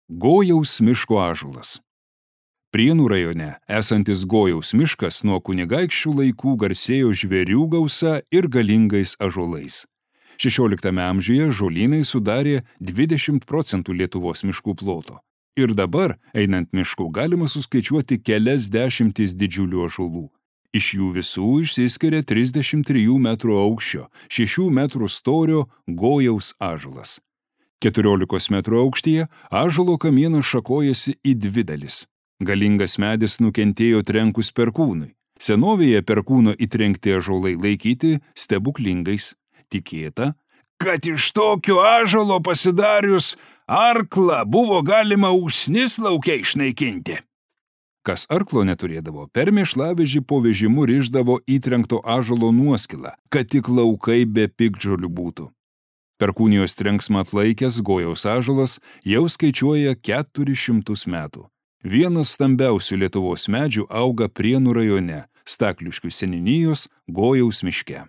Gojaus miško ąžuolas. Prienų rajone esantis Gojaus miškas nuo kunigaikščių laikų garsėjo žvėrių gausa ir galingais ąžuolais. 16 amžiuje žolynai sudarė 20% Lietuvos miškų ploto. Ir dabar, einant mišku, galima suskaičiuoti kelias dešimtis didžiulių ąžuolų. Iš jų visų išsiskiria 33 metrų aukščio, 6 metrų storio Gojaus ąžuolas. 14 metrų aukštyje ąžuolo kamienas šakojasi į dvi dalis. Galingas medis nukentėjo trenkus perkūnui. Senovėje perkūno įtrenkti ąžuolai laikyti stebuklingais. Tikėta, kad iš tokio ąžuolo pasidarius arklą buvo galima usnis lauke išnaikinti. Kas arklo neturėdavo, per mėšlavežį po vežimu rišdavo įtrenkto ąžuolo nuoskilą, kad tik laukai be piktžolių būtų. Perkūnijos trenksmą atlaikęs Gojaus ąžuolas jau skaičiuoja 400 metų. Vienas stambiausių Lietuvos medžių auga Prienų rajone, Stakliškių seniūnijos Gojaus miške.